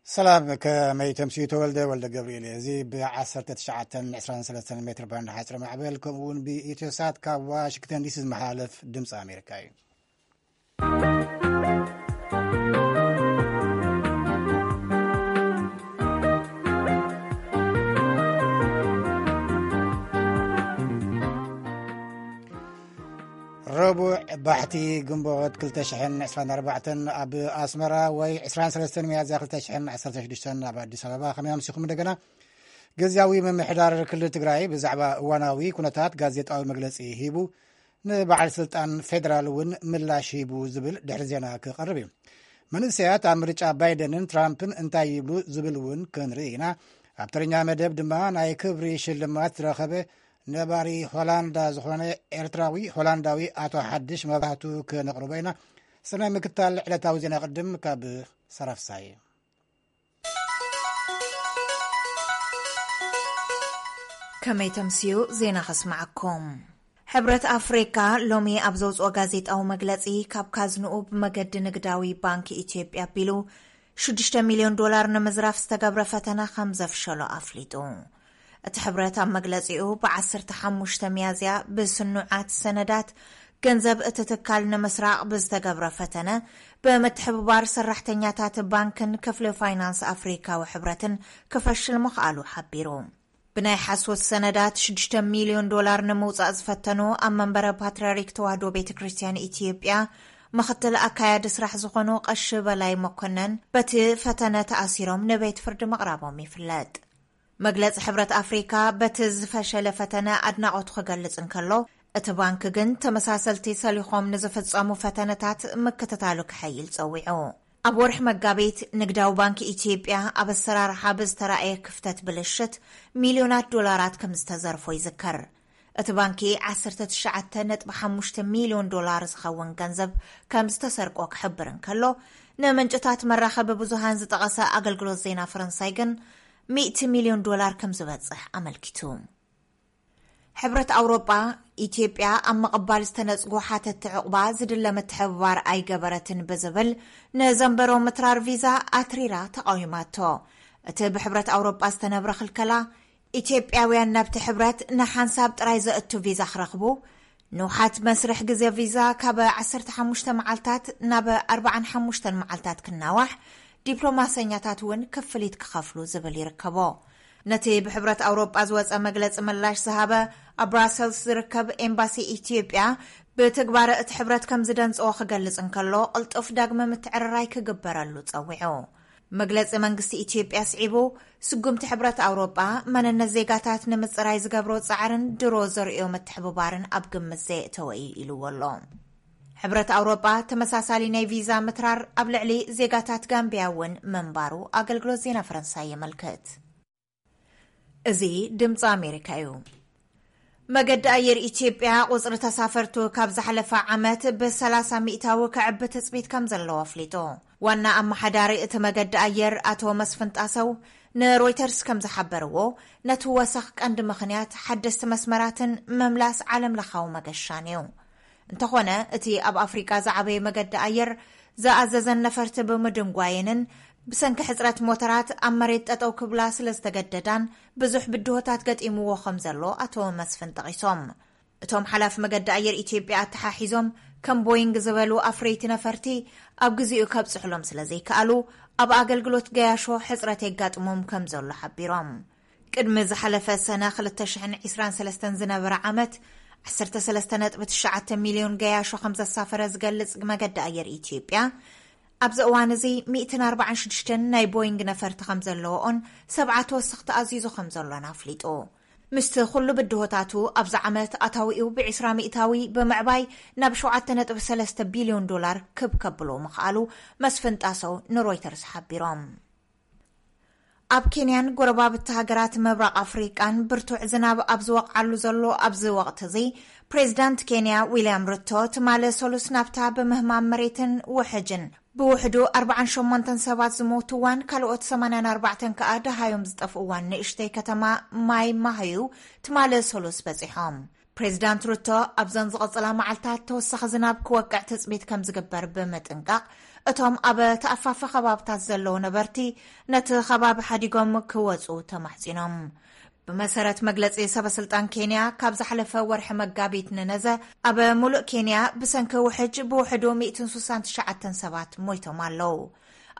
ሰላም፣ ከመይ ተምስዩ? ተወልደ ወልደ ገብርኤል እየ። እዚ ብ19 23 ሜትር ባንድ ሓፂር ማዕበል፣ ከምኡ እውን ብኢትዮ ሳት ካብ ዋሽንግተን ዲሲ ዝመሓላለፍ ድምፂ ኣሜሪካ እዩ። ረቡዕ ባሕቲ ግንቦት ክልተ ሽሕን ዕስራን ኣርባዕተን ኣብ ኣስመራ፣ ወይ ዕስራን ሰለስተን ሚያዝያ ክልተ ሽሕን ዓሰርተ ሽዱሽተን ኣብ ኣዲስ ኣበባ። ከመይ ኣምሲኹም? እንደገና ግዝያዊ ምምሕዳር ክልል ትግራይ ብዛዕባ እዋናዊ ኩነታት ጋዜጣዊ መግለጺ ሂቡ፣ ንበዓል ስልጣን ፌደራል እውን ምላሽ ሂቡ ዝብል ድሕሪ ዜና ክቐርብ እዩ። መንእሰያት ኣብ ምርጫ ባይደንን ትራምፕን እንታይ ይብሉ ዝብል እውን ክንርኢ ኢና። ኣብ ተረኛ መደብ ድማ ናይ ክብሪ ሽልማት ዝረኸበ ነባሪ ሆላንዳ ዝኾነ ኤርትራዊ ሆላንዳዊ ኣቶ ሓድሽ መብራህቱ ክነቕርቦ ኢና። ሰናይ ምክታል ዕለታዊ ዜና ቅድም ካብ ሰራፍሳይ። ከመይ ተምስዩ ዜና ከስምዓኩም። ሕብረት ኣፍሪካ ሎሚ ኣብ ዘውፅኦ ጋዜጣዊ መግለፂ፣ ካብ ካዝንኡ ብመገዲ ንግዳዊ ባንክ ኢትዮጵያ ኣቢሉ ሽዱሽተ ሚልዮን ዶላር ንምዝራፍ ዝተገብረ ፈተነ ከም ዘፍሸሎ ኣፍሊጡ። እቲ ሕብረት ኣብ መግለጺኡ፣ ብ15 ሚያዝያ ብስኑዓት ሰነዳት ገንዘብ እቲ ትካል ንምስራቕ ብዝተገብረ ፈተነ፣ ብምትሕብባር ሰራሕተኛታት ባንክን ክፍሊ ፋይናንስ ኣፍሪካዊ ሕብረትን ክፈሽል ምኽኣሉ ሓቢሩ። ብናይ ሓሶት ሰነዳት ሽዱሽተ ሚልዮን ዶላር ንምውጻእ ዝፈተኑ ኣብ መንበረ ፓትርያርክ ተዋህዶ ቤተ ክርስቲያን ኢትዮጵያ ምኽትል ኣካያዲ ስራሕ ዝኾኑ ቀሺ በላይ መኮነን፣ በቲ ፈተነ ተኣሲሮም ንቤት ፍርዲ ምቕራቦም ይፍለጥ። መግለጺ ሕብረት ኣፍሪካ፣ በቲ ዝፈሸለ ፈተነ ኣድናቖቱ ክገልጽ እንከሎ፣ እቲ ባንክ ግን ተመሳሰልቲ ሰሊኾም ንዝፍጸሙ ፈተነታት ምክትታሉ ክሐይል ጸዊዑ። ኣብ ወርሒ መጋቢት፣ ንግዳዊ ባንክ ኢትዮጵያ ኣብ ኣሰራርሓ ብዝተራእየ ክፍተት ብልሽት ሚልዮናት ዶላራት ከም ዝተዘርፎ ይዝከር። እቲ ባንኪ ዓሰርተ ትሽዓተ ነጥቢ ሓሙሽተ ሚልዮን ዶላር ዝኸውን ገንዘብ ከም ዝተሰርቆ ክሕብር እንከሎ፣ ንምንጭታት መራኸቢ ብዙሃን ዝጠቐሰ ኣገልግሎት ዜና ፈረንሳይ ግን፣ ሚእቲ ሚልዮን ዶላር ከም ዝበጽሕ ኣመልኪቱ። ሕብረት ኣውሮጳ፣ ኢትዮጵያ ኣብ ምቕባል ዝተነጽጉ ሓተትቲ ዕቑባ ዝድለ ምትሕብባር ኣይገበረትን ብዝብል ንዘንበሮ ምትራር ቪዛ ኣትሪራ ተቓዊማቶ። እቲ ብሕብረት ኣውሮጳ ዝተነብረ ክልከላ፣ ኢትዮጵያውያን ናብቲ ሕብረት ንሓንሳብ ጥራይ ዘእቱ ቪዛ ክረኽቡ፣ ንውሓት መስርሕ ግዜ ቪዛ ካብ ዓሰርተ ሓሙሽተ መዓልታት ናብ ኣርባዓን ሓሙሽተን መዓልታት ክናዋሕ፣ ዲፕሎማሰኛታት እውን ክፍሊት ክኸፍሉ ዝብል ይርከቦ። ነቲ ብሕብረት ኣውሮጳ ዝወጸ መግለጺ ምላሽ ዝሃበ ኣብ ብራሰልስ ዝርከብ ኤምባሲ ኢትዮጵያ፣ ብትግባረ እቲ ሕብረት ከም ዝደንጸዎ ክገልጽ እንከሎ፣ ቅልጡፍ ዳግመ ምትዕርራይ ክግበረሉ ጸዊዑ። መግለጺ መንግስቲ ኢትዮጵያ ስዒቡ፣ ስጉምቲ ሕብረት ኣውሮጳ መንነት ዜጋታት ንምጽራይ ዝገብሮ ጻዕርን ድሮ ዘርእዮ ምትሕብባርን ኣብ ግምት ዘየእተወ እዩ ኢልዎ ኣሎ። ሕብረት ኣውሮጳ ተመሳሳሊ ናይ ቪዛ ምትራር ኣብ ልዕሊ ዜጋታት ጋምቢያ እውን ምንባሩ ኣገልግሎት ዜና ፈረንሳይ የመልክት። እዚ ድምፂ ኣሜሪካ እዩ። መገዲ ኣየር ኢትዮጵያ ቁፅሪ ተሳፈርቱ ካብ ዝሓለፈ ዓመት ብ30 ሚእታዊ ክዕቢ ትፅቢት ከም ዘለዎ ኣፍሊጡ። ዋና ኣመሓዳሪ እቲ መገዲ ኣየር ኣቶ መስፍን ጣሰው ንሮይተርስ ከም ዝሓበርዎ፣ ነቲ ወሰኽ ቀንዲ ምኽንያት ሓደስቲ መስመራትን ምምላስ ዓለም ለኻዊ መገሻን እዩ። እንተኾነ፣ እቲ ኣብ ኣፍሪቃ ዝዓበየ መገዲ ኣየር ዝኣዘዘን ነፈርቲ ብምድንጓየንን ብሰንኪ ሕጽረት ሞተራት ኣብ መሬት ጠጠው ክብላ ስለ ዝተገደዳን ብዙሕ ብድሆታት ገጢምዎ ከም ዘሎ ኣቶ መስፍን ጠቒሶም። እቶም ሓላፊ መገዲ ኣየር ኢትዮጵያ ኣተሓሒዞም፣ ከም ቦይንግ ዝበሉ ኣፍረይቲ ነፈርቲ ኣብ ግዜኡ ከብጽሕሎም ስለ ዘይከኣሉ፣ ኣብ ኣገልግሎት ገያሾ ሕጽረት የጋጥሞም ከም ዘሎ ሓቢሮም። ቅድሚ ዝሓለፈ ሰነ ክልተ ሽሕን ዕስራን ሰለስተን ዝነበረ ዓመት፣ ዓሰርተ ሰለስተ ነጥቢ ትሽዓተ ሚልዮን ገያሾ ከም ዘሳፈረ ዝገልጽ መገዲ ኣየር ኢትዮጵያ፣ ኣብዚ እዋን እዚ ሚእትን ኣርባዓን ሽዱሽተን ናይ ቦይንግ ነፈርቲ ከም ዘለዎኦን ሰብዓ ተወሰኽቲ ኣዚዙ ከም ዘሎን ኣፍሊጡ። ምስቲ ኩሉ ብድሆታቱ፣ ኣብዚ ዓመት ኣታዊኡ ብዒስራ ሚእታዊ ብምዕባይ ናብ ሸውዓተ ነጥቢ ሰለስተ ቢልዮን ዶላር ክብ ከብሎ ምኽኣሉ መስፍን ጣሰው ንሮይተርስ ሓቢሮም። ኣብ ኬንያን ጎረባብቲ ሃገራት ምብራቕ ኣፍሪቃን ብርቱዕ ዝናብ ኣብ ዝወቕዓሉ ዘሎ ኣብዚ ወቕቲ እዚ፣ ፕሬዚዳንት ኬንያ ዊልያም ሩቶ ትማሊ ሰሉስ ናብታ ብምህማም መሬትን ውሕጅን ብውሕዱ ኣርባዓን ሸሞንተን ሰባት ዝሞትዋን ካልኦት ሰማንያን ኣርባዕተን ከኣ ደሃዮም ዝጠፍእዋን ንእሽተይ ከተማ ማይ ማህዩ ትማሊ ሰሉስ በጺሖም። ፕሬዚዳንት ሩቶ ኣብዘን ዝቐጽላ መዓልታት ተወሳኺ ዝናብ ክወቅዕ ትጽቢት ከም ዝግበር ብምጥንቃቕ፣ እቶም ኣብ ተኣፋፊ ከባብታት ዘለዉ ነበርቲ ነቲ ከባቢ ሓዲጎም ክወጹ ተማሕጺኖም። ብመሰረት መግለጺ ሰበስልጣን ኬንያ፣ ካብ ዝሓለፈ ወርሒ መጋቢት ንነዘ ኣብ ሙሉእ ኬንያ ብሰንኪ ውሕጅ ብውሕዱ ሚእትን ስሳን ትሽዓተን ሰባት ሞይቶም ኣለዉ።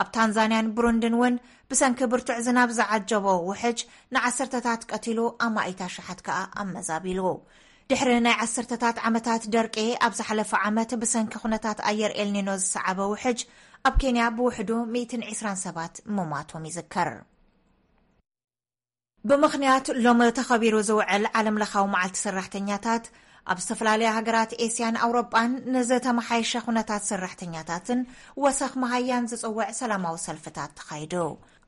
ኣብ ታንዛንያን ብሩንድን እውን ብሰንኪ ብርቱዕ ዝናብ ዝዓጀቦ ውሕጅ ንዓሰርተታት ቀቲሉ፣ ኣማኢት ኣሽሓት ከኣ ኣመዛቢሉ። ድሕሪ ናይ ዓሰርተታት ዓመታት ደርቂ፣ ኣብ ዝሓለፈ ዓመት ብሰንኪ ኩነታት ኣየር ኤልኒኖ ዝሰዓበ ውሕጅ ኣብ ኬንያ ብውሕዱ ሚእትን ዕስራን ሰባት ምሟቶም ይዝከር። ብምኽንያት ሎም ተኸቢሩ ዝውዕል ዓለምለኻዊ መዓልቲ ሰራሕተኛታት፣ ኣብ ዝተፈላለያ ሃገራት ኤስያን ኣውሮጳን ንዝተመሓየሸ ኩነታት ሰራሕተኛታትን ወሰኽ መሃያን ዝጽውዕ ሰላማዊ ሰልፍታት ተኻይዱ።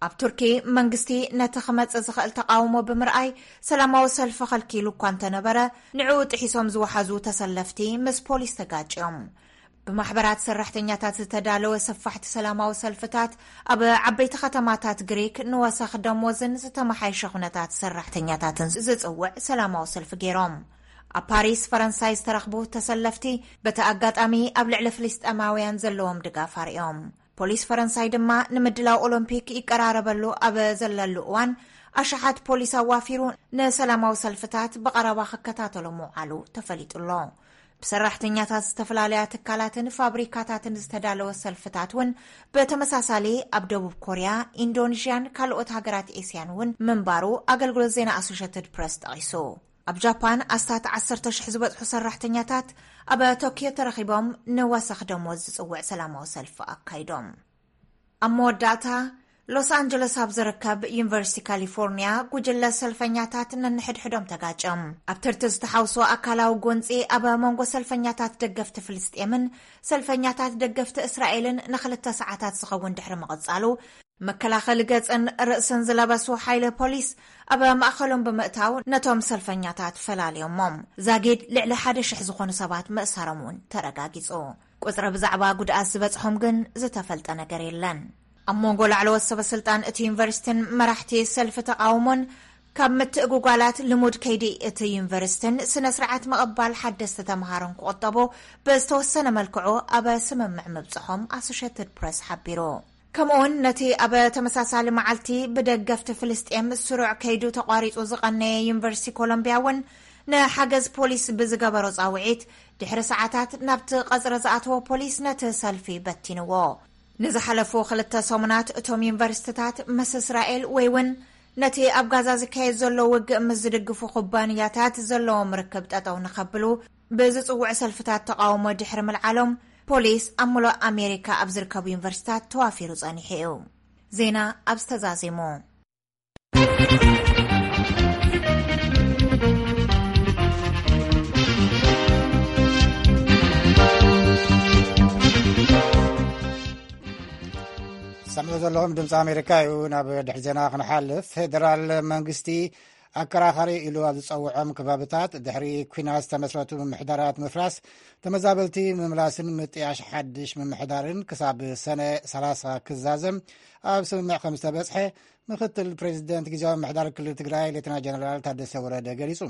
ኣብ ቱርኪ መንግስቲ ነቲ ክመጽእ ዝኽእል ተቓውሞ ብምርኣይ ሰላማዊ ሰልፊ ከልኪሉ እኳ እንተነበረ፣ ንዕኡ ጥሒሶም ዝወሓዙ ተሰለፍቲ ምስ ፖሊስ ተጋጭዮም። ብማሕበራት ሰራሕተኛታት ዝተዳለወ ሰፋሕቲ ሰላማዊ ሰልፍታት ኣብ ዓበይቲ ከተማታት ግሪክ ንወሰኽ ደሞዝን ዝተመሓየሸ ኩነታት ሰራሕተኛታትን ዝጽውዕ ሰላማዊ ሰልፊ ገይሮም። ኣብ ፓሪስ ፈረንሳይ ዝተረኽቡ ተሰለፍቲ በቲ ኣጋጣሚ ኣብ ልዕሊ ፍልስጤማውያን ዘለዎም ድጋፍ ኣርእዮም። ፖሊስ ፈረንሳይ ድማ ንምድላው ኦሎምፒክ ይቀራረበሉ ኣብ ዘለሉ እዋን ኣሽሓት ፖሊስ ኣዋፊሩ ንሰላማዊ ሰልፍታት ብቐረባ ክከታተሎ ምውዓሉ ተፈሊጡ ኣሎ። ብሰራሕተኛታት ዝተፈላለያ ትካላትን ፋብሪካታትን ዝተዳለወ ሰልፍታት እውን ብተመሳሳሊ ኣብ ደቡብ ኮርያ፣ ኢንዶኔዥያን ካልኦት ሃገራት ኤስያን እውን ምንባሩ ኣገልግሎት ዜና ኣሶሸትድ ፕረስ ጠቒሱ። ኣብ ጃፓን ኣስታት ዓሰርተ ሽሕ ዝበጽሑ ሰራሕተኛታት ኣብ ቶኪዮ ተረኺቦም ንወሰኽ ደሞዝ ዝጽውዕ ሰላማዊ ሰልፊ ኣካይዶም። ኣብ መወዳእታ፣ ሎስ ኣንጀለስ ኣብ ዝርከብ ዩኒቨርሲቲ ካሊፎርኒያ ጉጅለ ሰልፈኛታት ነንሕድሕዶም ተጋጨም። ኣብ ትርቲ ዝተሓውሶ ኣካላዊ ጎንጺ ኣብ መንጎ ሰልፈኛታት ደገፍቲ ፍልስጤምን ሰልፈኛታት ደገፍቲ እስራኤልን ንኽልተ ሰዓታት ዝኸውን ድሕሪ ምቕጻሉ፣ መከላኸሊ ገጽን ርእስን ዝለበሱ ሓይሊ ፖሊስ ኣብ ማእከሎም ብምእታው ነቶም ሰልፈኛታት ፈላልዮሞም። ዛጊድ ልዕሊ ሓደ ሽሕ ዝኾኑ ሰባት ምእሳሮም እውን ተረጋጊጹ። ቁጽሪ ብዛዕባ ጉድኣት ዝበጽሖም ግን ዝተፈልጠ ነገር የለን። ኣብ መንጎ ላዕለዎት ሰበ ስልጣን እቲ ዩኒቨርሲቲን መራሕቲ ሰልፊ ተቓውሞን ካብ ምትእጉጓላት ልሙድ ከይዲ እቲ ዩኒቨርሲቲን ስነ ስርዓት ምቕባል ሓደስቲ ተምሃሮን ክቑጠቡ ብዝተወሰነ መልክዑ ኣብ ስምምዕ ምብጽሖም ኣሶሼትድ ፕረስ ሓቢሩ። ከምኡውን ነቲ ኣብ ተመሳሳሊ መዓልቲ ብደገፍቲ ፍልስጤም ስሩዕ ከይዱ ተቋሪጹ ዝቐነየ ዩኒቨርሲቲ ኮሎምቢያ እውን ንሓገዝ ፖሊስ ብዝገበሮ ጻውዒት ድሕሪ ሰዓታት ናብቲ ቀጽሪ ዝኣተወ ፖሊስ ነቲ ሰልፊ በቲንዎ። ንዝሓለፉ ክልተ ሰሙናት እቶም ዩኒቨርሲቲታት ምስ እስራኤል ወይ እውን ነቲ ኣብ ጋዛ ዝካየድ ዘሎ ውግእ ምስ ዝድግፉ ኩባንያታት ዘለዎም ርክብ ጠጠው ንኸብሉ ብዝጽውዕ ሰልፍታት ተቓውሞ ድሕሪ ምልዓሎም፣ ፖሊስ ኣብ ምሉእ ኣሜሪካ ኣብ ዝርከቡ ዩኒቨርሲታት ተዋፊሩ ጸኒሑ እዩ። ዜና ኣብ ዝተዛዜሙ። ሰምዑ ዘለኹም ድምፂ ኣሜሪካ እዩ። ናብ ድሕሪ ዜና ክንሓልፍ፣ ፌደራል መንግስቲ ኣከራኻሪ ኢሉ ኣብ ዝፀውዖም ከባብታት ድሕሪ ኲናት ዝተመስረቱ ምምሕዳራት ምፍራስ፣ ተመዛበልቲ ምምላስን ምጥያሽ ሓድሽ ምምሕዳርን ክሳብ ሰነ ሰላሳ ክዛዘም ኣብ ስምምዕ ከም ዝተበፅሐ ምክትል ፕሬዚደንት ግዝያዊ ምምሕዳር ክልል ትግራይ ሌተና ጀነራል ታደሰ ወረደ ገሊፁ።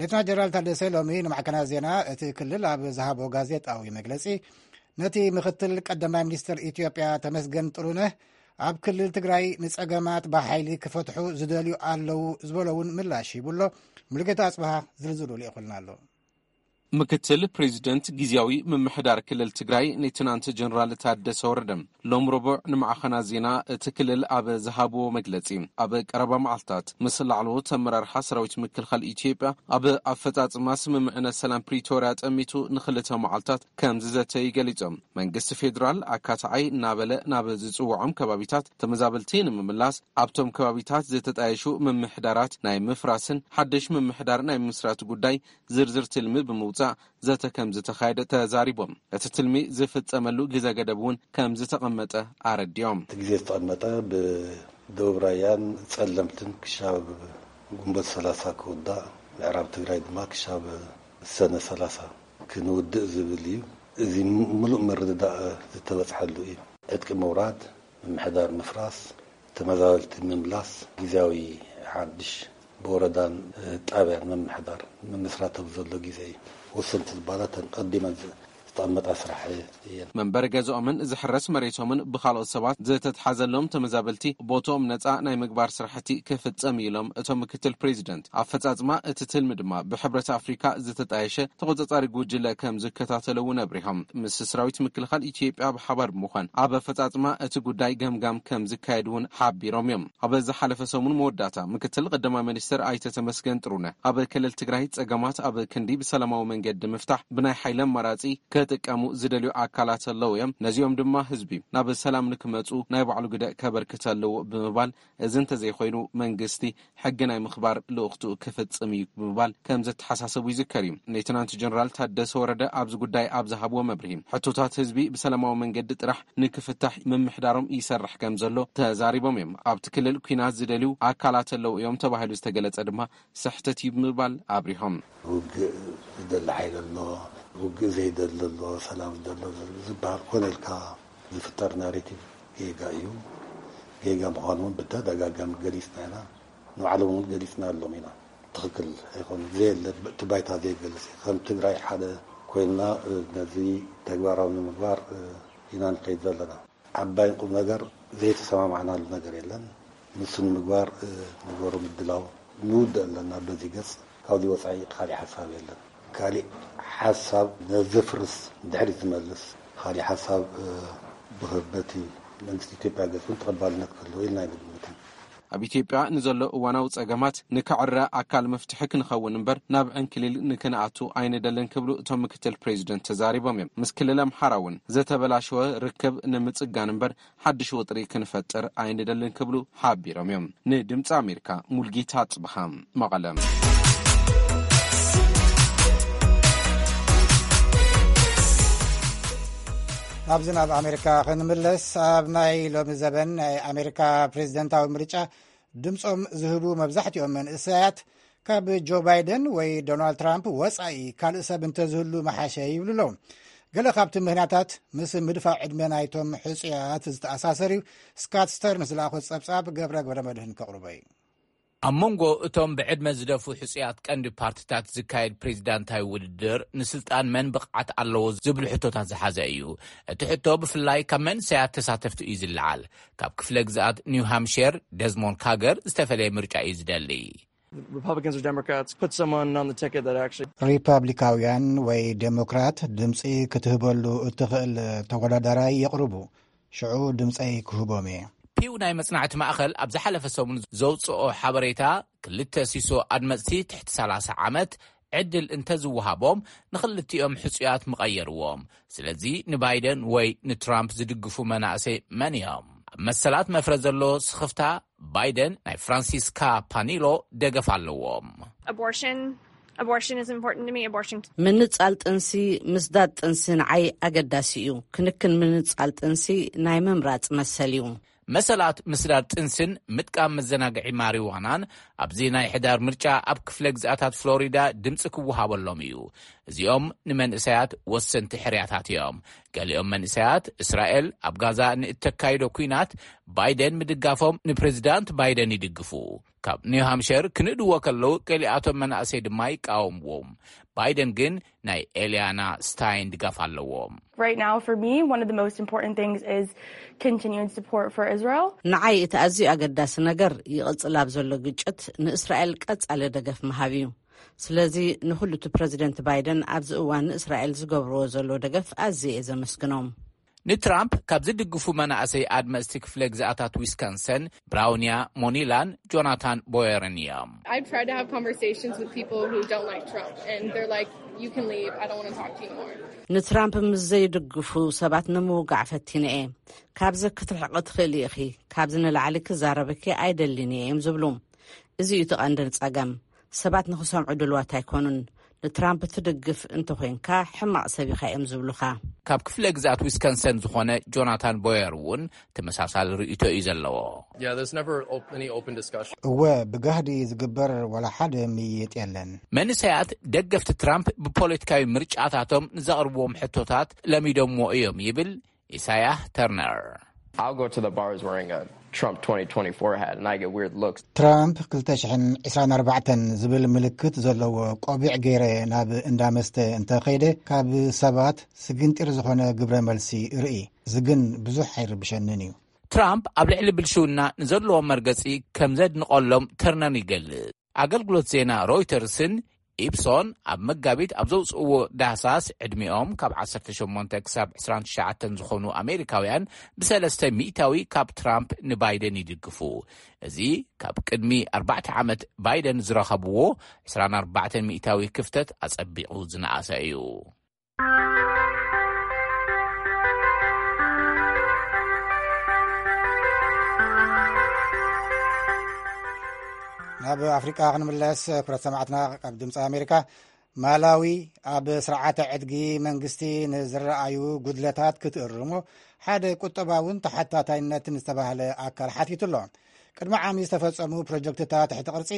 ሌተና ጀነራል ታደሰ ሎሚ ንማዕከናት ዜና እቲ ክልል ኣብ ዝሃቦ ጋዜጣዊ መግለፂ፣ ነቲ ምክትል ቀዳማይ ሚኒስትር ኢትዮጵያ ተመስገን ጥሩነህ ኣብ ክልል ትግራይ ንጸገማት ብሓይሊ ክፈትሑ ዝደልዩ ኣለዉ ዝበሎ እውን ምላሽ ሂቡ ኣሎ። ሙሉጌታ ኣጽብሃ ዝርዝሩ ልኢኹልና ኣሎ። ምክትል ፕሬዚደንት ግዝያዊ ምምሕዳር ክልል ትግራይ ሌተናንት ጀነራል ታደሰ ወረደ ሎም ረቡዕ ንማዕኸናት ዜና እቲ ክልል ኣብ ዝሃብዎ መግለጺ፣ ኣብ ቀረባ መዓልታት ምስ ላዕለዎት ኣመራርሓ ሰራዊት ምክልኻል ኢትዮጵያ ኣብ ኣፈጻጽማ ስምምዕነት ሰላም ፕሪቶርያ ጠሚቱ ንኽልተ መዓልታት ከም ዝዘተዩ ገሊጾም። መንግስቲ ፌዴራል ኣካታዓይ እናበለ ናብ ዝጽውዖም ከባቢታት ተመዛበልቲ ንምምላስ፣ ኣብቶም ከባቢታት ዝተጣየሹ ምምሕዳራት ናይ ምፍራስን ሓድሽ ምምሕዳር ናይ ምምስራት ጉዳይ ዝርዝር ትልሚ ብምውጻእ ዘተ ከም ዝተኻየደ ተዛሪቦም። እቲ ትልሚ ዝፍጸመሉ ግዘ ገደብ እውን ከም ዝተቐመጠ ኣረዲኦም። እቲ ግዜ ዝተቐመጠ ብደቡብ ራያን ጸለምትን ክሻብ ግንቦት ሰላሳ ክውዳእ፣ ምዕራብ ትግራይ ድማ ክሻብ ሰነ ሰላሳ ክንውድእ ዝብል እዩ። እዚ ምሉእ ምርድዳእ ዝተበጽሐሉ እዩ። ዕጥቂ ምውራድ፣ ምምሕዳር ምፍራስ፣ ተመዛበልቲ ምምላስ፣ ግዝያዊ ሓድሽ ብወረዳን ጣብያን ምምሕዳር ምምስራት ኣብ ዘሎ ግዜ እዩ። ወሰንቲ ዝበሃላ እተን ቀዲመን ዝተቐመጣ ስራሕ እየን። መንበሪ ገዝኦምን ዝሕረስ መሬቶምን ብኻልኦት ሰባት ዝተትሓዘሎም ተመዛበልቲ ቦትኦም ነፃ ናይ ምግባር ስራሕቲ ክፍፀም እዩ ኢሎም እቶም ምክትል ፕሬዚደንት። ኣፈፃፅማ እቲ ትልሚ ድማ ብሕብረት ኣፍሪካ ዝተጣየሸ ተቆፃፃሪ ጉጅለ ከም ዝከታተሎ እውን ኣብሪሆም። ምስ ሰራዊት ምክልኻል ኢትዮጵያ ብሓባር ብምዃን ኣብ ኣፈፃፅማ እቲ ጉዳይ ገምጋም ከም ዝካየድ እውን ሓቢሮም እዮም። ኣብ ዝሓለፈ ሰሙን መወዳእታ ምክትል ቀዳማይ ሚኒስትር ኣይተ ተመስገን ጥሩነህ ኣብ ክልል ትግራይ ፀገማት ኣብ ክንዲ ብሰላማዊ መንገዲ ምፍታሕ ብናይ ሓይሊ ኣማራፂ ክጥቀሙ ዝደልዩ ኣካላት ኣለዉ እዮም። ነዚኦም ድማ ህዝቢ ናብ ሰላም ንክመፁ ናይ ባዕሉ ግደ ከበርክት ኣለዎ ብምባል፣ እዚ እንተዘይኮይኑ መንግስቲ ሕጊ ናይ ምኽባር ልኡኽትኡ ክፍፅም እዩ ብምባል ከም ዘተሓሳሰቡ ይዝከር እዩ። ሌተናንት ጀነራል ታደሰ ወረደ ኣብዚ ጉዳይ ኣብ ዝሃብዎ መብርሂ፣ ሕቶታት ህዝቢ ብሰላማዊ መንገዲ ጥራሕ ንክፍታሕ ምምሕዳሮም ይሰርሕ ከም ዘሎ ተዛሪቦም እዮም። ኣብቲ ክልል ኲናት ዝደልዩ ኣካላት ኣለዉ እዮም ተባሂሉ ዝተገለጸ ድማ ስሕተት እዩ ብምባል ኣብሪሆም። ውግእ ዝደሊ ሓይሊ ኣሎ፣ ውግእ ዘይደሊ ኣሎ፣ ሰላም ዝደሊ ኣሎ ዝበሃል ኮነ ኢልካ ዝፍጠር ናሬቲቭ ጌጋ እዩ። ጌጋ ምዃኑ እውን ብተደጋጋሚ ገሊጽና ኢና። ንባዕሎም እውን ገሊጽና ኣሎም ኢና። ትኽክል ኣይኮኑን። ዘየለ እቲ ባይታ ዘይገልጽ እዩ። ከም ትግራይ ሓደ ኮይንና ነዚ ተግባራዊ ንምግባር ኢና ንኸይድ ዘለና። ዓባይን ቁም ነገር ዘይተሰማማዕናሉ ነገር የለን። ንሱ ንምግባር ንገሩ ምድላው ንውድእ ኣለና። በዚ ገጽ ካብዚ ወፃኢ ካሊእ ሓሳብ የለን። ካሊእ ሓሳብ ነዘፍርስ፣ ንድሕሪት ዝመልስ ካሊእ ሓሳብ ብኸበቲ መንግስቲ ኢትዮጵያ ገጽ እውን ተቐባልነት ክህልዎ ኢልና ኣይንግምትን። ኣብ ኢትዮጵያ ንዘሎ እዋናዊ ጸገማት ንክዕረ ኣካል መፍትሒ ክንኸውን እምበር ናብ ዕንክሊል ንክንኣቱ ኣይንደልን ክብሉ እቶም ምክትል ፕሬዚደንት ተዛሪቦም እዮም። ምስ ክልል ኣምሓራ እውን ዝተበላሸወ ርክብ ንምጽጋን እምበር ሓድሽ ወጥሪ ክንፈጥር ኣይንደልን ክብሉ ሓቢሮም እዮም። ንድምፂ ኣሜሪካ ሙልጌታ ጽብሃ፣ መቐለ። ኣብዚ ናብ ኣሜሪካ ክንምለስ፣ ኣብ ናይ ሎሚ ዘበን ናይ ኣሜሪካ ፕሬዚደንታዊ ምርጫ ድምፆም ዝህቡ መብዛሕትኦም መንእሰያት ካብ ጆ ባይደን ወይ ዶናልድ ትራምፕ ወፃኢ ካልእ ሰብ እንተዝህሉ መሓሸ ይብሉ ኣለዉ። ገለ ካብቲ ምኽንያታት ምስ ምድፋእ ዕድመ ናይቶም ሕፁያት ዝተኣሳሰር እዩ። ስካት ስተርንስ ዝለኣኾ ጸብጻብ ገብረ ገብረ መድህን ከቕርቦ እዩ። ኣብ መንጎ እቶም ብዕድመ ዝደፉ ሕጹያት ቀንዲ ፓርቲታት ዝካየድ ፕሬዚዳንታዊ ውድድር ንስልጣን መን ብቕዓት ኣለዎ ዝብሉ ሕቶታት ዝሓዘ እዩ። እቲ ሕቶ ብፍላይ ካብ መንእሰያት ተሳተፍቲ እዩ ዝለዓል። ካብ ክፍለ ግዝኣት ኒው ሃምሽር ደዝሞንድ ካገር ዝተፈለየ ምርጫ እዩ ዝደሊ። Republicans or Democrats put someone on the ticket that actually ሪፐብሊካውያን ወይ ዴሞክራት ድምፂ ክትህበሉ እትኽእል ተወዳዳራይ የቕርቡ። ሽዑ ድምፀይ ክህቦም እየ። ፒው ናይ መጽናዕቲ ማእኸል ኣብ ዝሓለፈ ሰሙን ዘውፅኦ ሓበሬታ፣ ክልተ ሲሶ ኣድመፅቲ ትሕቲ ሰላሳ ዓመት ዕድል እንተዝወሃቦም ንኽልቲኦም ሕፁያት ምቐየርዎም። ስለዚ ንባይደን ወይ ንትራምፕ ዝድግፉ መናእሰይ መን እዮም? ኣብ መሰላት መፍረ ዘሎ ስኽፍታ ባይደን ናይ ፍራንሲስካ ፓኒሎ ደገፍ ኣለዎም። Abortion, abortion is important to me. Abortion. ምንጻል ጥንሲ ምስዳድ ጥንሲ ንዓይ ኣገዳሲ እዩ። ክንክን ምንጻል ጥንሲ ናይ ምምራጽ መሰል እዩ። መሰላት ምስዳድ ጥንስን ምጥቃም መዘናግዒ ማሪዋናን ኣብዚ ናይ ሕዳር ምርጫ ኣብ ክፍለ ግዝኣታት ፍሎሪዳ ድምፂ ክወሃበሎም እዩ። እዚኦም ንመንእሰያት ወሰንቲ ሕርያታት እዮም። ገሊኦም መንእሰያት እስራኤል ኣብ ጋዛ ንእተካይዶ ኲናት ባይደን ምድጋፎም ንፕሬዚዳንት ባይደን ይድግፉ። ካብ ኒው ሃምሽር ክንእድዎ ከለዉ ገሊኣቶም መናእሰይ ድማ ይቃወምዎም። ባይደን ግን ናይ ኤልያና ስታይን ድጋፍ ኣለዎም። Right now, for me, one of the most important things is continued support for Israel. ንዓይ እቲ ኣዝዩ ኣገዳሲ ነገር ይቕጽል ኣብ ዘሎ ግጭት ንእስራኤል ቀጻሊ ደገፍ ምሃብ እዩ። ስለዚ ንኹሉ እቲ ፕረዚደንት ባይደን ኣብዚ እዋን ንእስራኤል ዝገብርዎ ዘሎ ደገፍ ኣዝየ እየ ዘመስግኖም። ንትራምፕ ካብ ዝድግፉ መናእሰይ ኣድመፅቲ ክፍለ ግዝኣታት ዊስካንሰን ብራውንያ ሞኒላን ጆናታን ቦየርን እዮም። I've tried to have conversations with people who don't like Trump, and they're like, "You can leave. I don't want to talk to you anymore." ንትራምፕ ምስ ዘይድግፉ ሰባት ንምውጋዕ ፈቲነ እየ። ካብዚ ክትርሕቂ ትኽእሊ ኢኺ፣ ካብዚ ንላዕሊ ክዛረበኪ ኣይደልን እየ እዮም ዝብሉ። እዚ እዩ እቲ ቀንዲ ጸገም። ሰባት ንኽሰምዑ ድልዋት ኣይኮኑን። ንትራምፕ ትድግፍ እንተኾይንካ ሕማቕ ሰብ ኢኻ እዮም ዝብሉኻ። ካብ ክፍለ ግዝኣት ዊስከንሰን ዝኾነ ጆናታን ቦየር እውን ተመሳሳሊ ርእይቶ እዩ ዘለዎ። Yeah, there's never op- any open discussion. እወ፣ ብጋህዲ ዝግበር ዋላ ሓደ ምይይጥ የለን። መንእሰያት ደገፍቲ ትራምፕ ብፖለቲካዊ ምርጫታቶም ንዘቕርብዎም ሕቶታት ለሚዶምዎ እዮም ይብል ኢሳያህ ተርነር። I'll go to the bars wearing a Trump twenty twenty-four hat, and I get weird looks. ትራምፕ ክልተ ሽሕን ዕስራን ኣርባዕተን ዝብል ምልክት ዘለዎ ቆቢዕ ገይረ ናብ እንዳ መስተ እንተኸይደ፣ ካብ ሰባት ስግንጢር ዝኾነ ግብረ መልሲ ርኢ። እዚ ግን ብዙሕ ኣይርብሸንን እዩ። ትራምፕ ኣብ ልዕሊ ብልሽውና ንዘለዎም መርገጺ ከም ዘድንቐሎም ተርነር ይገልጽ። ኣገልግሎት ዜና ሮይተርስን ኢፕሶን ኣብ መጋቢት ኣብ ዘውፅእዎ ዳህሳስ፣ ዕድሚኦም ካብ ዓሰርተ ሸሞንተ ክሳብ ዕስራን ትሽዓተን ዝኾኑ ኣሜሪካውያን ብሰለስተ ሚእታዊ ካብ ትራምፕ ንባይደን ይድግፉ። እዚ ካብ ቅድሚ ኣርባዕተ ዓመት ባይደን ዝረኸብዎ ዕስራን ኣርባዕተን ሚእታዊ ክፍተት ኣጸቢቑ ዝነኣሰ እዩ። ናብ ኣፍሪቃ ክንምለስ፣ ክብረት ሰማዕትና፣ ካብ ድምፂ ኣሜሪካ። ማላዊ ኣብ ስርዓተ ዕድጊ መንግስቲ ንዝረኣዩ ጉድለታት ክትእርሞ ሓደ ቁጠባውን ተሓታታይነትን ዝተባህለ ኣካል ሓቲቱ ኣሎ። ቅድሚ ዓሚ ዝተፈጸሙ ፕሮጀክትታት ትሕቲ ቅርጺ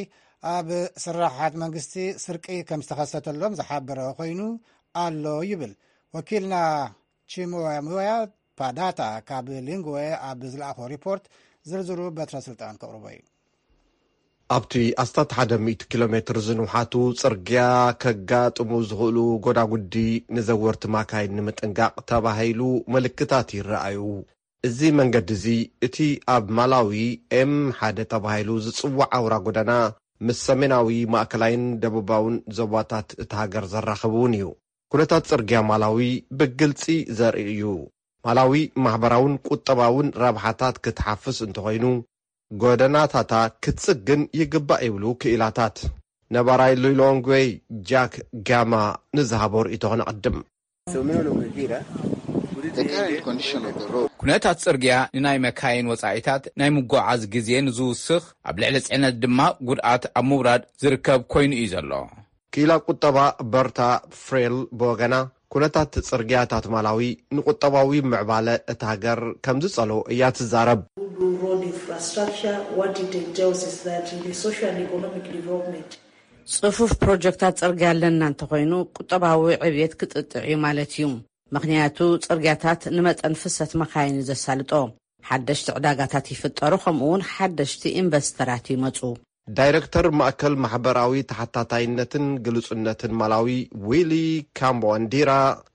ኣብ ስራሓት መንግስቲ ስርቂ ከም ዝተኸሰተሎም ዝሓበረ ኮይኑ ኣሎ ይብል ወኪልና ቺሞያሙያ ፓዳታ ካብ ሊንግወ ኣብ ዝለኣኾ ሪፖርት። ዝርዝሩ በትረ ስልጣን ከቕርቦ እዩ። ኣብቲ ኣስታት ሓደ ሚእቲ ኪሎ ሜትር ዝንውሓቱ ጽርግያ ከጋጥሙ ዝኽእሉ ጎዳጉዲ ንዘወርቲ ማካይን ንምጥንቃቕ ተባሂሉ ምልክታት ይረኣዩ። እዚ መንገዲ እዚ እቲ ኣብ ማላዊ ኤም ሓደ ተባሂሉ ዝጽዋዕ ኣውራ ጎደና ምስ ሰሜናዊ፣ ማእከላይን ደቡባውን ዞባታት እታ ሃገር ዘራኽብ እውን እዩ። ኩነታት ጽርግያ ማላዊ ብግልጺ ዘርኢ እዩ። ማላዊ ማሕበራውን ቁጠባውን ረብሓታት ክትሓፍስ እንተኾይኑ፣ ጎደናታታ ክትጽግን ይግባእ ይብሉ ክኢላታት። ነባራይ ሉሎንግዌ ጃክ ጋማ ንዝሃቦ ርእይቶ ክነቐድም። ኩነታት ጽርግያ ንናይ መካይን ወጻኢታት ናይ ምጉዓዝ ግዜ ንዝውስኽ፣ ኣብ ልዕሊ ጽዕነት ድማ ጉድኣት ኣብ ምውራድ ዝርከብ ኮይኑ እዩ ዘሎ። ክኢላ ቁጠባ በርታ ፍሬል ብወገና፣ ኩነታት ጽርግያታት ማላዊ ንቁጠባዊ ምዕባለ እታ ሃገር ከም ዝጸልኦ እያ ትዛረብ። ጽፉፍ ፕሮጀክታት ጽርግያ ኣለና እንተኾይኑ፣ ቁጠባዊ ዕብየት ክጥጥዕ እዩ ማለት እዩ። ምኽንያቱ፣ ጽርግያታት ንመጠን ፍሰት መካይን እዩ ዘሳልጦ። ሓደሽቲ ዕዳጋታት ይፍጠሩ፣ ከምኡውን ሓደሽቲ ኢንቨስተራት ይመጹ። ዳይረክተር ማእከል ማሕበራዊ ተሓታታይነትን ግሉጽነትን ማላዊ ዊሊ ካምቦንዲራ፣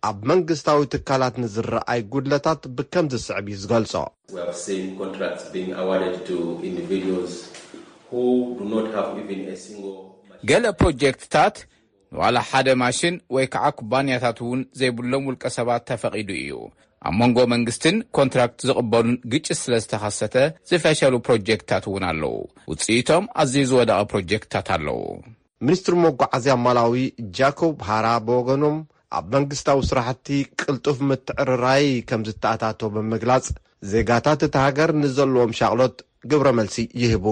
ኣብ መንግስታዊ ትካላት ንዝረኣይ ጉድለታት ብከም ዝስዕብ እዩ ዝገልጾ። ገለ ፕሮጀክትታት ንዋላ ሓደ ማሽን ወይ ከዓ ኩባንያታት እውን ዘይብሎም ውልቀ ሰባት ተፈቒዱ እዩ። ኣብ መንጎ መንግስትን ኮንትራክት ዝቕበሉን ግጭት ስለ ዝተኸሰተ ዝፈሸሉ ፕሮጀክትታት እውን ኣለዉ። ውፅኢቶም ኣዝዩ ዝወደቐ ፕሮጀክትታት ኣለዉ። ሚኒስትሪ መጓዓዝያ ማላዊ ጃኮብ ሃራ ብወገኖም፣ ኣብ መንግስታዊ ስራሕቲ ቅልጡፍ ምትዕርራይ ከም ዝተኣታቶ ብምግላጽ፣ ዜጋታት እታ ሃገር ንዘለዎም ሻቕሎት ግብረ መልሲ ይህቡ።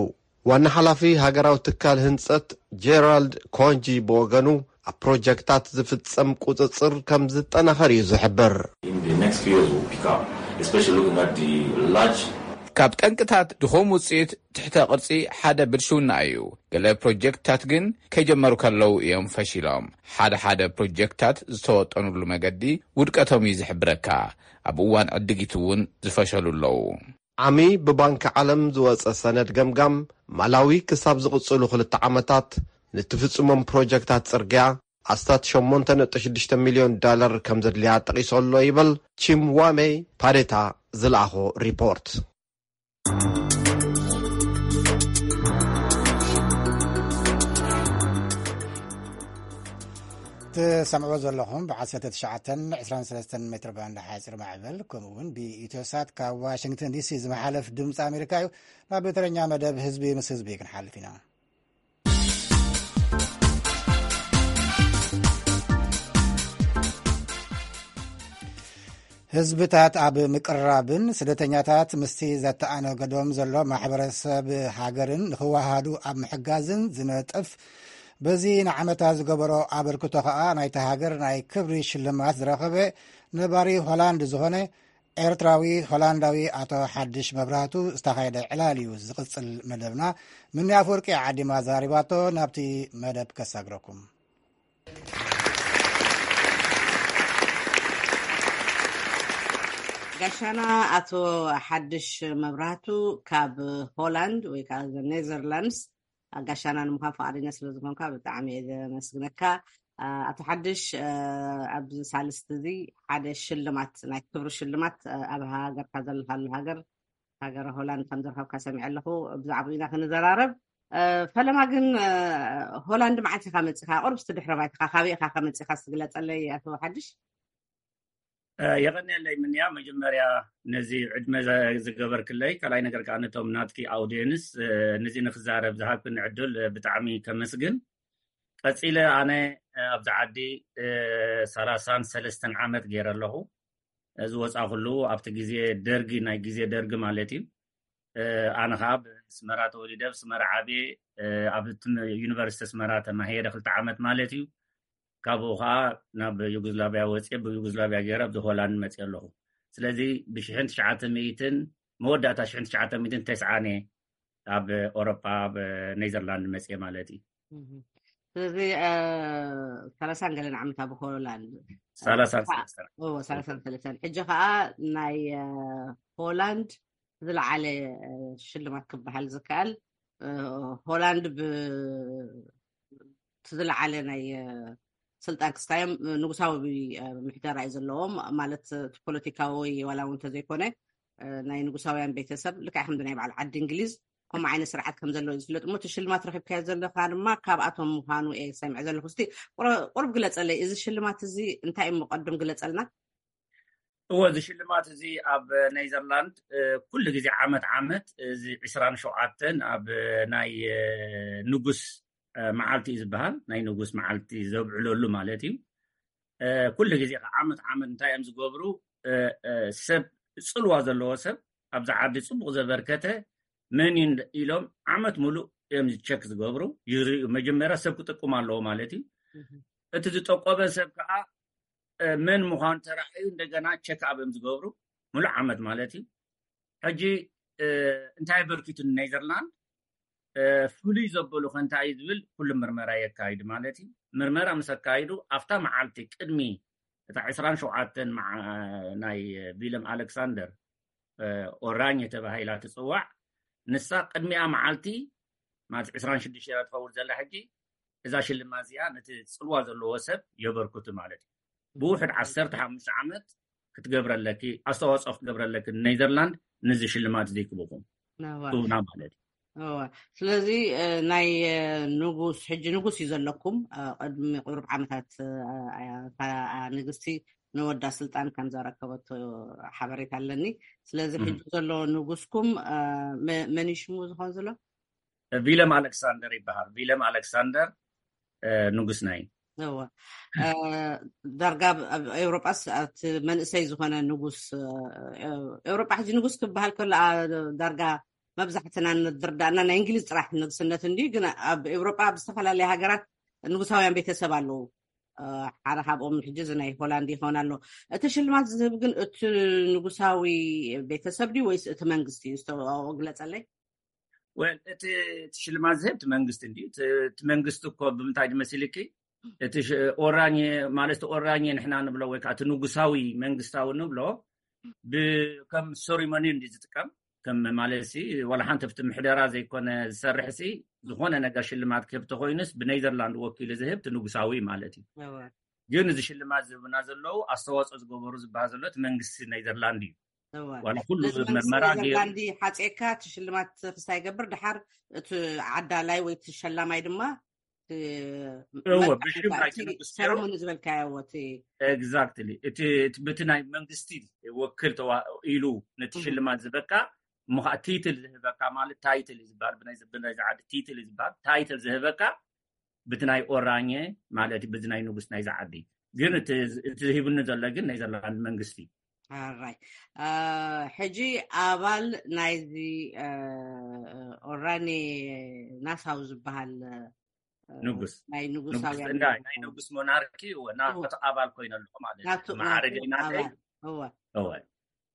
ዋና ሓላፊ ሃገራዊ ትካል ህንጸት ጀራልድ ኮንጂ ብወገኑ፣ ኣብ ፕሮጀክታት ዝፍጸም ቁጽጽር ከም ዝጠናኸር እዩ ዝሕብር። ካብ ጠንቅታት ድኹም ውፅኢት ትሕተ ቅርፂ ሓደ ብልሽውና እዩ። ገለ ፕሮጀክትታት ግን ከይጀመሩ ከለዉ እዮም ፈሺሎም። ሓደ ሓደ ፕሮጀክትታት ዝተወጠኑሉ መገዲ ውድቀቶም እዩ ዝሕብረካ። ኣብ እዋን ዕድጊት እውን ዝፈሸሉ ኣለዉ። ዓሚ ብባንኪ ዓለም ዝወጸ ሰነድ ገምጋም፣ ማላዊ ክሳብ ዝቕጽሉ ክልተ ዓመታት ንትፍጽሞም ፕሮጀክታት ጽርግያ ኣስታት ሸሞንተ ነጥቢ ሽዱሽተ ሚልዮን ዳለር ከም ዘድልያ ጠቒሱ ኣሎ ይብል ቺምዋሜ ፓዴታ ዝለኣኾ ሪፖርት። ትሰምዕዎ ዘለኹም ብ19 23 ሜትር ባንድ ሓፂር ማዕበል ከምኡ እውን ብኢትዮሳት ካብ ዋሽንግተን ዲሲ ዝመሓለፍ ድምፂ ኣሜሪካ እዩ። ናብ ተረኛ መደብ ህዝቢ ምስ ህዝቢ ክንሓልፍ ኢና። ህዝብታት ኣብ ምቅርራብን ስደተኛታት ምስቲ ዘተኣናገዶም ዘሎ ማሕበረሰብ ሃገርን ንክወሃሃዱ ኣብ ምሕጋዝን ዝነጥፍ፣ በዚ ንዓመታ ዝገበሮ ኣበርክቶ ከኣ ናይታ ሃገር ናይ ክብሪ ሽልማት ዝረኸበ ነባሪ ሆላንድ ዝኾነ ኤርትራዊ ሆላንዳዊ ኣቶ ሓድሽ መብራህቱ ዝተኻየደ ዕላል እዩ ዝቕጽል መደብና። ምኒ ኣፈወርቂ ዓዲማ ዘራሪባቶ ናብቲ መደብ ከሳግረኩም። ጋሻና ኣቶ ሓድሽ መብራህቱ ካብ ሆላንድ ወይ ከዓ ኔዘርላንድስ፣ ጋሻና ንምዃን ፈቓደኛ ስለ ዝኾንካ ብጣዕሚ እየ ዘመስግነካ። ኣቶ ሓድሽ፣ ኣብዚ ሳልስቲ እዚ ሓደ ሽልማት፣ ናይ ክብሪ ሽልማት ኣብ ሃገርካ ዘለካሉ ሃገር፣ ሃገረ ሆላንድ ከም ዝረኸብካ ሰሚዐ ኣለኹ። ብዛዕባኡ ኢና ክንዘራረብ። ፈለማ ግን፣ ሆላንድ መዓስ ኢኻ መፂኻ? ቁርብ እስቲ ድሕረ ባይትኻ፣ ካበይ ኢኻ ከመፂኻ እስቲ ግለፀለይ ኣቶ ሓድሽ። የቐንየለይ ምንያ። መጀመርያ ነዚ ዕድመ ዝገበርክለይ፣ ካልኣይ ነገር ከዓ ነቶም ናትኪ ኣውድየንስ ነዚ ንክዛረብ ዝሃብክኒ ዕድል ብጣዕሚ ከመስግን። ቀፂለ ኣነ ኣብዚ ዓዲ ሰላሳን ሰለስተን ዓመት ገይረ ኣለኹ። ዝወፃ ኩሉ ኣብቲ ግዜ ደርጊ፣ ናይ ግዜ ደርጊ ማለት እዩ። ኣነ ከዓ ብስመራ ተወሊደ፣ ብስመራ ዓብየ፣ ኣብ ዩኒቨርሲቲ ስመራ ተማሂረ ክልተ ዓመት ማለት እዩ። ካብኡ ከዓ ናብ ዩጎዝላቪያ ወፅየ፣ ብዩጎዝላቪያ ገይረ ኣብዚ ሆላንድ መፅየ ኣለኹ። ስለዚ ብሽሕን ትሽዓተ ሚእትን፣ መወዳእታ ሽሕን ትሽዓተ ሚእትን ተስዓን እየ ኣብ ኤውሮጳ፣ ኣብ ኔዘርላንድ መፅየ ማለት እዩ። ስለዚ ሰላሳን ገለን ዓመት ኣብ ሆላንድ። ሰላሳን ሰለስተን። ሰላሳን ሰለስተን። ሕጂ ከዓ ናይ ሆላንድ ዝለዓለ ሽልማት ክበሃል ዝከኣል፣ ሆላንድ ብ ዝለዓለ ናይ ስልጣን ክስታዮም ንጉሳዊ ምሕደራ እዩ ዘለዎም። ማለት እቲ ፖለቲካዊ ወይ ዋላ እውን እንተዘይኮነ፣ ናይ ንጉሳውያን ቤተሰብ ልክዕ ከምዚ ናይ በዓል ዓዲ እንግሊዝ ከምኡ ዓይነት ስርዓት ከም ዘለዎ እዩ ዝፍለጥ። እሞ እቲ ሽልማት ረኺብካዮ ዘለካ ድማ ካብኣቶም ምዃኑ እየ ሰሚዐ ዘለኹ። እስቲ ቁረ-፣ ቁሩብ ግለጸለይ፣ እዚ ሽልማት እዚ እንታይ እዩ? እሞ ቀድም ግለጸልና። እዎ፣ እዚ ሽልማት እዚ ኣብ ኔዘርላንድ ኩሉ ግዜ ዓመት ዓመት እዚ ዕስራን ሸውዓተን ኣብ ናይ ንጉስ መዓልቲ እዩ ዝበሃል። ናይ ንጉስ መዓልቲ ዘብዕለሉ ማለት እዩ። ኩሉ ግዜ ከዓ ዓመት ዓመት እንታይ እዮም ዝገብሩ? ሰብ፣ ፅልዋ ዘለዎ ሰብ፣ ኣብዚ ዓዲ ፅቡቅ ዘበርከተ መን እዩ ኢሎም ዓመት ሙሉእ እዮም ቸክ ዝገብሩ፣ ይርእዩ። መጀመርያ ሰብ ክጥቅም ኣለዎ ማለት እዩ። እቲ ዝጠቆበ ሰብ ከዓ መን ምዃኑ ተራእዩ እንደገና ቸክ ኣፕ እዮም ዝገብሩ፣ ሙሉእ ዓመት ማለት እዩ። ሕጂ እንታይ ኣበርኪቱ ንኔዘርላንድ ፍሉይ ዘበሉ ከ እንታይ እዩ ዝብል ኩሉ ምርመራ የካይዱ ማለት እዩ። ምርመራ ምስ ኣካይዱ ኣብታ መዓልቲ ቅድሚ እታ ዕስራን ሸውዓተን መዓ-፣ ናይ ቪለም ኣሌክሳንደር ኦራኝ ተባሂላ ትፅዋዕ፣ ንሳ ቅድሚኣ መዓልቲ ማለት ዕስራን ሽዱሽተ እያ ትኸውን ዘላ ሕጂ። እዛ ሽልማት እዚኣ ነቲ ፅልዋ ዘለዎ ሰብ የበርክቱ ማለት እዩ። ብውሕድ ዓሰርተ ሓሙሽተ ዓመት ክትገብረለኪ፣ ኣስተዋፅኦ ክትገብረለኪ ኔዘርላንድ ነዚ ሽልማት እዚ ክብኹም ክህቡና ማለት እዩ። እወ። ስለዚ ናይ ንጉስ፣ ሕጂ ንጉስ እዩ ዘለኩም። ቅድሚ ቁሩብ ዓመታት እታ ንግስቲ ንወዳ ስልጣን ከም ዘረከበቶ ሓበሬታ ኣለኒ። ስለዚ ሕጂ ዘሎ ንጉስኩም መን እዩ ሽሙ ዝኸውን ዘሎ? ቪለም ኣሌክሳንደር ይበሃል። ቪለም ኣሌክሳንደር ንጉስና እዩ። እወ። ዳርጋ ኣብ ኤውሮጳስ እቲ መንእሰይ ዝኾነ ንጉስ፣ ኤውሮጳ ሕጂ ንጉስ ክበሃል ከሎ ዳርጋ መብዛሕትና ንድርዳእና ናይ እንግሊዝ ጥራሕ ንግስነት እንድዩ። ግን ኣብ ኤውሮጳ ኣብ ዝተፈላለያ ሃገራት ንጉሳውያን ቤተሰብ ኣለዉ። ሓደ ካብኦም ሕጂ እዚ ናይ ሆላንድ ይኸውን ኣሎ። እቲ ሽልማት ዝህብ ግን እቲ ንጉሳዊ ቤተሰብ ድዩ ወይስ እቲ መንግስቲ እዩ? ዝተዋኦ ግለጸለይ። ወል፣ እቲ፣ እቲ ሽልማት ዝህብ እቲ መንግስቲ እንድዩ። እቲ፣ እቲ መንግስቲ እኮ ብምንታይ ድመሲልኪ? እቲ ሽ-፣ ኦራኝ ማለት፣ እቲ ኦራኝ ንሕና ንብሎ ወይ ከዓ እቲ ንጉሳዊ መንግስታዊ ንብሎ ብ-፣ ከም ሴሪሞኒ እንድዩ ዝጥቀም። ከም ማለት ሲ፣ ዋላ ሓንቲ ኣብቲ ምሕደራ ዘይኮነ ዝሰርሕ ሲ፣ ዝኾነ ነገር ሽልማት ክህብ ተኮይኑስ ብኔዘርላንድ ወኪሉ ዝህብ እቲ ንጉሳዊ ማለት እዩ። እወ። ግን እዚ ሽልማት ዝህቡና ዘለዉ ኣስተዋፅኦ ዝገበሩ ዝበሃል ዘሎ እቲ መንግስቲ ኔዘርላንድ እዩ። እወ። ዋላ ኩሉ ስለዚ መንግስቲ ምርመራ ገይሩ ኔዘርላንድ ሓፂእካ እቲ ሽልማት ክስታይ ይገብር፣ ድሓር እቲ ዓዳላይ ወይ እቲ ሸላማይ ድማ እቲ እወ፣ መልክዕ ብሽም ናይቲ እቲ ንጉስ ገይሩ። ሰረሞኒ ዝበልካዮ እወ፣ እቲ ኤግዛክትሊ። እቲ፣ እቲ ብቲ ናይ መንግስቲ ወክል ተዋ-፣ ኢሉ ነቲ እህ። ሽልማት ዝበካ፣ እሞ ከዓ ቲትል ዝህበካ ማለት ታይትል እዩ ዝበሃል። ብናይ፣ ብናይ ዝዓዲ ቲትል እዩ ዝበሃል። ታይትል ዝህበካ ብቲ ናይ ኦራኘ ማለት እዩ፣ በዚ ናይ ንጉስ ናይዚ ዓዲ። ግን እቲ፣ እቲ ሂቡኒ ዘሎ ግን ናይ ኔዘርላንድ መንግስቲ እዩ። ኣራይ። አ፣ ሕጂ ኣባል ናይዚ፣ አ፣ ኦራኔ ናሳው ዝበሃል፣ አ፣ ንጉስ። ናይ ንጉስ ንጉሳውያን እንዳ-፣ ናይ ንጉስ ሞናርኪ፣ እወ፣ ናቱ እወ። ኣባል ኮይነ ኣለኹ ማለት እዩ። ናቱ፣ ማዕረገይ ናቱ ናተይ። ኣባል። እወ። እወ።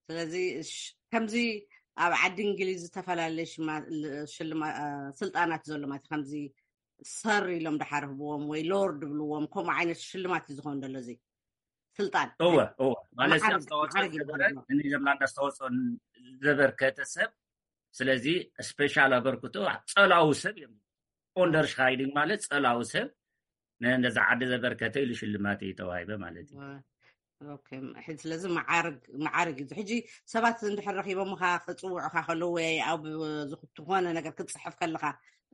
ስለዚ ሽ-፣ ከምዚ ኣብ ዓዲ እንግሊዝ ዝተፈላለየ ሽማ-፣ ል-፣ ሽልማ-፣ አ፣ ስልጣናት ዘሎ ማለት ከምዚ ሰር ኢሎም ድሓር ህብዎም ወይ ሎርድ ብልዎም፣ ከምኡ ዓይነት ሽልማት እዩ ዝኾን ዘሎ እዚ። ስልጣን እወ እወ ማለት ኣስተዋፅኦ ዝገበረ ንኔዘርላንድ ኣስተዋፅኦ ዘበርከተ ሰብ። ስለዚ ስፔሻል ኣበርክቶ ፀላዊ ሰብ እዮም። ኦንደርሽካይዲንግ ማለት ፀላዊ ሰብ ነዛ ዓዲ ዘበርከተ ኢሉ ሽልማት እዩ ተዋሂበ ማለት እዩ። ስለዚ መዓርግ እዩ። ሕጂ ሰባት እንድሕር ረኪቦምኻ ክፅውዑኻ ከለዉ ወይ ኣብ ዝኾነ ነገር ክትፅሕፍ ከለኻ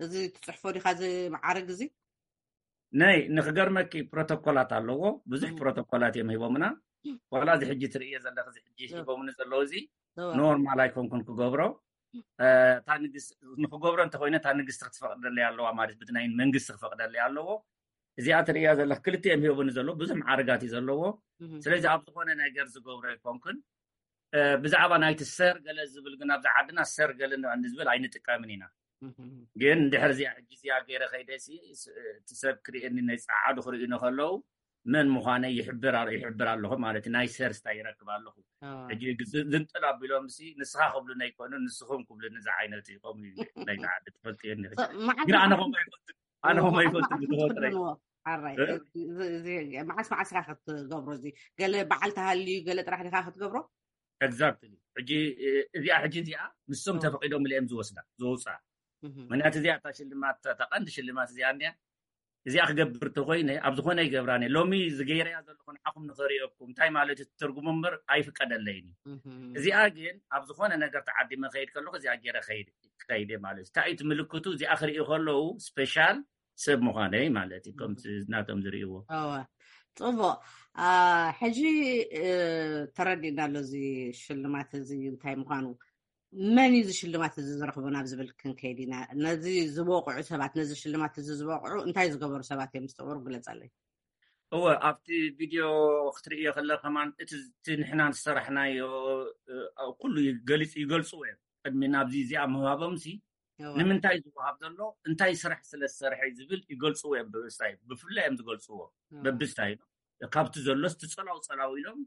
እዚ ትፅሕፎ ዲኻ እዚ መዓርግ እዚ? ናይ ንክገርመኪ ፕሮቶኮላት ኣለዎ። ብዙሕ ፕሮቶኮላት እዮም ሂቦምና። ዋላ እዚ ሕጂ ትርእዮ ዘለኺ እዚ ሕጂ ሂቦምኒ ዘለዉ እዚ ኖርማል ኣይኮንኩን ክገብሮ። ንክገብሮ እንተኮይነ እታ ንግስቲ ክትፈቅደለይ ኣለዋ ማለት ብናይ መንግስቲ ክፈቅደለይ ኣለዎ። እዚኣ ትርእያ ዘለክ ክልተ እዮም ሂቦምኒ ዘለዎ ብዙሕ መዓርጋት እዩ ዘለዎ። ስለዚ ኣብ ዝኾነ ነገር ዝገብሮ ኣይኮንኩን። ብዛዕባ ናይቲ ሰር ገለ ዝብል ግን ኣብዚ ዓድና ሰር ገለ ንዝብል ኣይንጥቀምን ኢና። ግን እንድሕር እዚኣ ሕጂ እዚኣ ገይረ ከይደ እቲ ሰብ ክርእየኒ ናይ ፀዓዱ ክርእዩኒ ከለዉ መን ምዃነ ይሕብር ኣለኹ ማለት ናይ ሰር ስታ ይረክብ ኣለኹ። ሕጂ ዝንጥል ኣቢሎም ንስኻ ክብሉኒ ኣይኮኑ ንስኹም ክብሉኒ ዝዓይነቱ ይቆም ናይ ዓዲ ትፈልጥዮ ግን ኣነ ከምኡ ኣይፈልጥን ኣነ ከምኡ ኣይፈልጥን ብተፈጥረ መዓስ መዓስ ኢኻ ክትገብሮ እዚ ገለ በዓል ተሃልዩ ገለ ጥራሕ ዲኻ ክትገብሮ? ኤግዛክትሊ። ሕጂ እዚኣ ሕጂ እዚኣ ንሶም ተፈቂዶም እዮም ዝወስዳ ዝወፅኣ። ምክንያቱ እዚኣ እታ ሽልማት እታ ቀንዲ ሽልማት እዚኣ እንዲያ እዚኣ ክገብር ተኮይነ ኣብ ዝኾነ ይገብራን እየ ሎሚ ዝገይረያ ዘለኹ ንዓኹም ንኸርእየኩም እንታይ ማለት እዩ ትርጉሙ እምበር ኣይፍቀደለይን እዩ። እዚኣ ግን ኣብ ዝኾነ ነገር ተዓዲመ ከይድ ከለኹ እዚኣ ገይረ ከይድ ከይድ ማለት እዩ እንታይ እዩ ምልክቱ እዚኣ ክርእዩ ከለዉ ስፔሻል ሰብ ምዃነይ ማለት እዩ ከምቲ ናቶም ዝርእይዎ። እወ ጽቡቕ። ሕጂ ተረዲእና ኣሎ እዚ ሽልማት እዚ እንታይ ምዃኑ። መን እዩ እዚ ሽልማት እዚ ዝረኽቦ ናብ ዝብል ክንከይድ ኢና። ነዚ ዝበቕዑ ሰባት ነዚ ሽልማት እዚ ዝበቕዑ እንታይ ዝገበሩ ሰባት እዮም ዝተወሩ ግለጸለይ። እወ ኣብቲ ቪድዮ ክትርእዮ ከለ ከማን እቲ ንሕና ዝሰራሕናዮ ኩሉ ይገልጽ ይገልጽዎ እዮም። ቅድሚ ናብዚ እዚኣ ምህባቦም ሲ ንምንታይ ዝወሃብ ዘሎ እንታይ ስራሕ ስለ ዝሰርሐ ዝብል ይገልፅዎ እዮም ብብስታይ ብፍላይ እዮም ዝገልፅዎ በብስታይ ካብቲ ዘሎስ ትፀላው ፀላው ኢሎም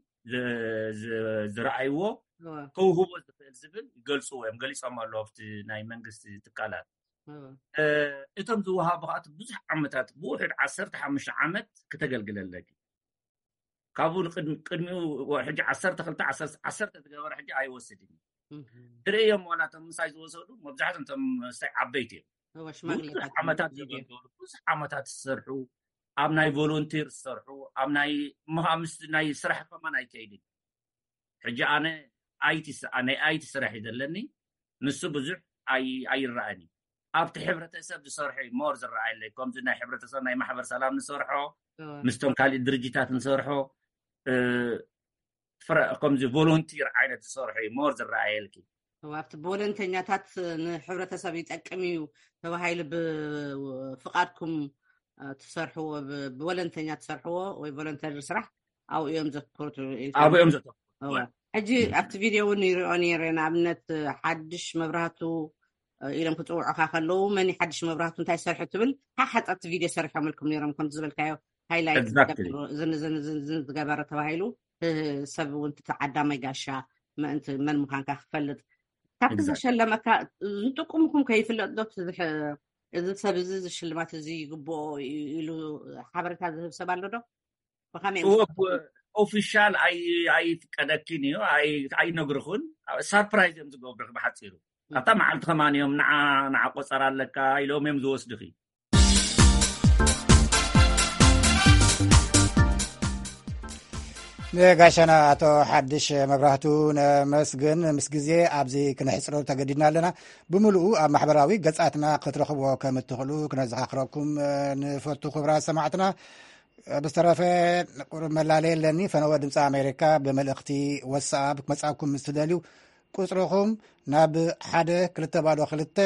ዝረኣይዎ ከውህቦ ዝኽእል ዝብል ይገልፅዎ እዮም ገሊፆም ኣለዎ ኣብቲ ናይ መንግስቲ ትካላት እቶም ዝወሃቡ ከዓት ብዙሕ ዓመታት ብውሕድ ዓሰርተ ሓሙሽተ ዓመት ክተገልግለለኪ ካብኡ ንቅድሚኡ ሕጂ ዓሰርተ ክልተ ዓሰርተ ዝገበረ ሕጂ ኣይወስድን እዩ ትርእዮም ዋላ እቶም ምሳይ ዝወሰዱ መብዛሕትኦም እቶም ምሳይ ዓበይቲ እዮም ብዙሕ ዓመታት ዘገልገሉ ብዙሕ ዓመታት ዝሰርሑ ኣብ ናይ ቮሎንቲር ዝሰርሑ ኣብ ናይ ምስ ናይ ስራሕ ከማን ኣይከይድን ሕጂ ኣነ ኣይቲ ናይ ኣይቲ ስራሕ እዩ ዘለኒ ንሱ ብዙሕ ኣይረኣን እዩ ኣብቲ ሕብረተሰብ ዝሰርሖ እዩ ሞር ዝረኣየለይ ከምዚ ናይ ሕብረተሰብ ናይ ማሕበር ሰላም ንሰርሖ ምስቶም ካሊእ ድርጅታት ንሰርሖ ከምዚ ቮሎንቲር ዓይነት ዝሰርሖ እዩ ሞር ዝረኣየልኪ ኣብቲ ብወለንተኛታት ንሕብረተሰብ ይጠቅም እዩ ተባሂሉ ብፍቃድኩም ትሰርሕዎ ብወለንተኛ ትሰርሕዎ ወይ ቮለንተሪ ስራሕ ኣብኡ እዮም ዘትኩርቱ ኣብኡ እዮም ዘተኩሩ ሕጂ ኣብቲ ቪድዮ እውን ይሪኦ ነይረ ንኣብነት ሓድሽ መብራህቱ ኢሎም ክፅውዑካ ከለዉ መን ሓድሽ መብራህቱ እንታይ ሰርሑ ትብል ሓሓፀርቲ ቪድዮ ሰሪሖምልኩም ነይሮም ከምቲ ዝበልካዮ ሃይላይት ዝገበረ ተባሂሉ ሰብ እውን ትተዓዳማይ ጋሻ ምእንቲ መን ምዃንካ ክፈልጥ ካብቲ ዘሸለመካ ዝጥቁምኩም ከይፍለጥ ዶ እዚ ሰብ እዚ ዝሽልማት እዚ ይግብኦ ኢሉ ሓበሬታ ዝህብ ሰብ ኣሎ ዶ ብኸመይ ኦፊሻል ኣይፍቀደኪን እዩ ኣይነግርኹን ሳርፕራይዝ እዮም ዝገብርክ ብሓፂሩ ኣብታ መዓልቲ ከማን እዮም ንዓ ንዓ ቆፀር ኣለካ ኢሎም እዮም ዝወስድኺ ንጋሻና ኣቶ ሓድሽ መብራህቱ ነመስግን ምስ ግዜ ኣብዚ ክንሕፅሮ ተገዲድና ኣለና ብምሉኡ ኣብ ማሕበራዊ ገፃትና ክትረኽብዎ ከም እትኽእሉ ክነዘኻኽረኩም ንፈቱ ክብራት ሰማዕትና ብዝተረፈ ቁሩብ መላለየ ኣለኒ ፈነወ ድምፂ ኣሜሪካ ብመልእኽቲ ወሳኣብ ክመፃኩም ምስ ትደልዩ ቁፅርኹም ናብ ሓደ ክልተ ባዶ ክልተ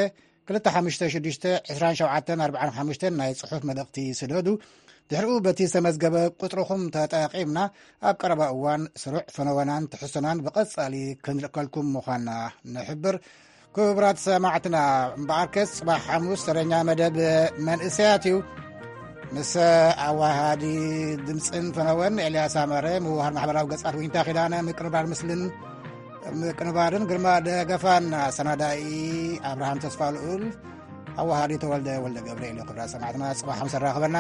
ክልተ ሓሙሽተ ሽዱሽተ ዕስራን ሸውዓተን ኣርባዓን ሓሙሽተን ናይ ፅሑፍ መልእኽቲ ስደዱ ድሕሪኡ በቲ ዝተመዝገበ ቁፅርኹም ተጠቂምና ኣብ ቀረባ እዋን ስሩዕ ፈነወናን ትሕዝቶናን ብቐፃሊ ክንልእከልኩም ምዃንና ንሕብር ክቡራት ሰማዕትና እምበኣርከስ ፅባሕ ሓሙስ ተረኛ መደብ መንእሰያት እዩ ምስ ኣዋሃዲ ድምፅን ፈነወን ኤልያስ ኣመረ ምውሃር ማሕበራዊ ገፃት ዊንታ ኪዳነ ምቅርባር ምስልን ምቅንባርን ግርማ ደገፋን ኣሰናዳኢ ኣብርሃም ተስፋ ልኡል ኣዋሃዲ ተወልደ ወልደ ገብርኤል ክብራ ሰማዕትና ፅባሕ ሓሙስ ኣራኽበና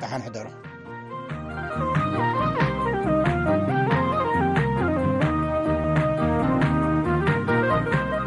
ደሓን ሕደሩ